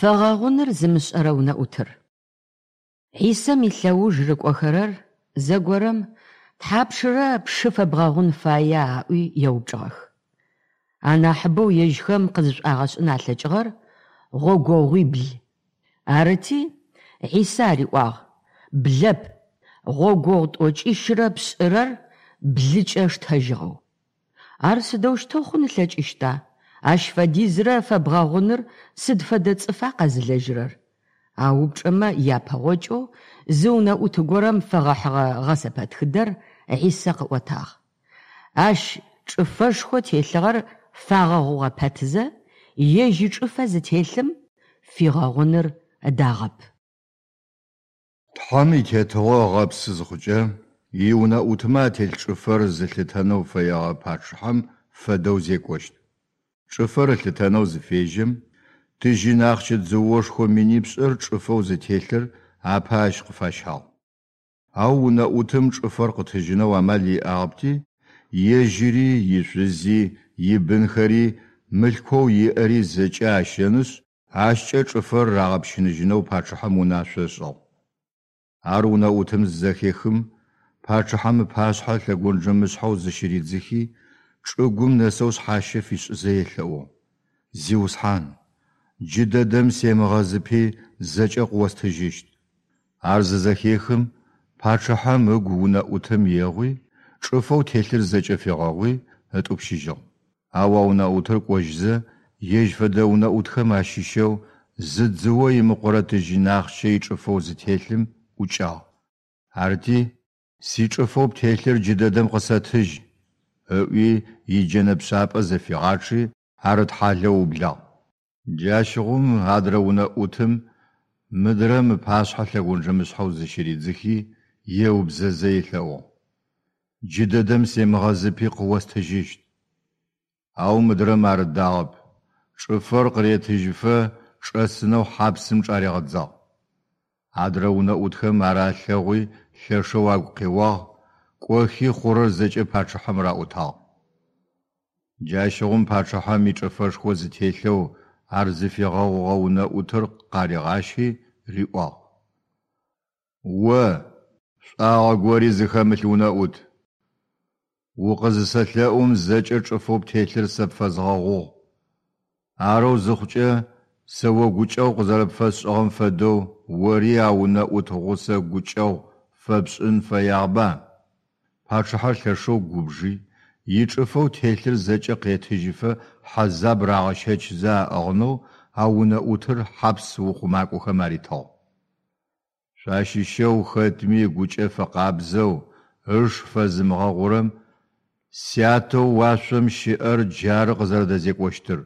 Фэгъэгъуныр зымышӏэрэ унэӏутыр. Хьисэм илъэуж рыкӏохэрэр зэгорэм тхьапшырэ пшы фэбгъэгъун фая аӏуи еупчӏыгъэх. Анахьыбэу ежьхэм къызышӏуагъэшӏын алъэкӏыгъэр гъогогъуибл. Арыти, Хьисэ ариӏуагъ, Блэп, гъогогъу тӏокӏищырэ пшӏырэр блыкӏэ штэжьыгъэу. Ар сыдэущтэу хъун ылъэкӏыщта? Ащ фэдизрэ фэбгъэгъуныр сыд фэдэ цӏыфа къэзылэжьырэр? А упчӏэмэ япэгъокӏэу зы унэӏут горэм фэгъэхьыгъэ гъэсэпэтхыдэр Хьисэ къыӏотагъ. Ащ чӏыфэшхо телъыгъэр фагъэгъугъэ пэтзэ, ежь ичӏыфэ зытелъым фигъэгъуныр ыдагъэп. Тхьэм и Тетыгъо ыгъэпсы зыхъукӏэ, иунэӏутмэ ателъ чӏыфэр зылъытэнэу фэегъэ пачъыхьэм фэдэу зекӏощт. Чӏыфэр ылъытэнэу зыфежьэм, тыжьын ахъщэ дзыошхо минипшӏыр чӏыфэу зытелъыр апэ ащ къыфащагъ. Ау унэӏутым чӏыфэр къытыжьынэу амал иӏагъэпти, ежьыри, ишъузи, ибынхэри, мылъкоу иӏэри зэкӏэ ащэнышъ, ащкӏэ чӏыфэр рагъэпщыныжьынэу пачъыхьэм унашъо ышӏыгъ. Ар унэӏутым зызэхехым, пачъыхьэм ыпашъхьэ лъэгонджэмышъхьэу зыщыридзыхи, чӏыгум нэсэу шъхьащэ фишӏызэ елъэӏугъ, Зиусхьан, джыдэдэм семыгъэзыпи, зэкӏэ къыостыжьыщт. Ар зызэхехым, пачъыхьэм ыгу унэӏутым егъуи, чӏыфэу телъыр зэкӏэ фигъэгъуи, ытӏупщыжьыгъ. Ау а унэӏутыр кӏожьызэ, ежь фэдэ унэӏутхэм ащыщэу зы дзыо имыкъурэ тыжьын ахъщэ ичӏыфэу зытелъым ӏукӏагъ. Арыти, Сичӏыфэу птелъыр джыдэдэм къысэтыжь! ыӏуи, иджэнэ пшъапӏэ зэфигъачъи, ар ытхьалэу ыублагъ. Джащыгъум адрэ унэӏутым мыдрэм ыпашъхьэ лъэгонджэмышъхьэу зыщыридзыхи, еубзэзэ елъэӏугъ, Джыдэдэм семыгъэзыпи къыостыжьыщт. Ау мыдрэм ар ыдагъэп, чӏыфэр къыретыжьыфэ чӏэсынэу хьапсым чӏаригъэдзагъ. Адрэ унэӏутхэм ар алъэгъуи лъэшэу агу къеуагъ, кӏохи хъурэр зэкӏэ пачъыхьэм раӏотагъ. Джащыгъум пачъыхьэм ичӏыфэшхо зытелъэу ар зыфигъэгъугъэ унэӏутыр къаригъащи риӏуагъ, О, шӏуагъэ гори зыхэмылъ унэӏут! Укъызысэлъэӏум зэкӏэ чӏыфэу птелъыр сэ пфэзгъэгъугъ. Арэу зыхъукӏэ, сэ о гукӏэгъу къызэрэпфэсшӏыгъэм фэдэу ори а унэӏут гъусэ гукӏэгъу фэпшӏын фэягъэба? Пачъыхьэр лъэшэу губжи, ичӏыфэу телъыр зэкӏэ къетыжьыфэ хьэзаб рагъэщэчзэ аӏыгъынэу а унэӏутыр хьапс ухъумакӏохэм аритыгъ. Шъуащыщэу хэтми ыгукӏэ фэкъабзэу ыш фэзымыгъэгъурэм Сятэу уашъом щыӏэр джары къызэрэдэзекӏощтыр.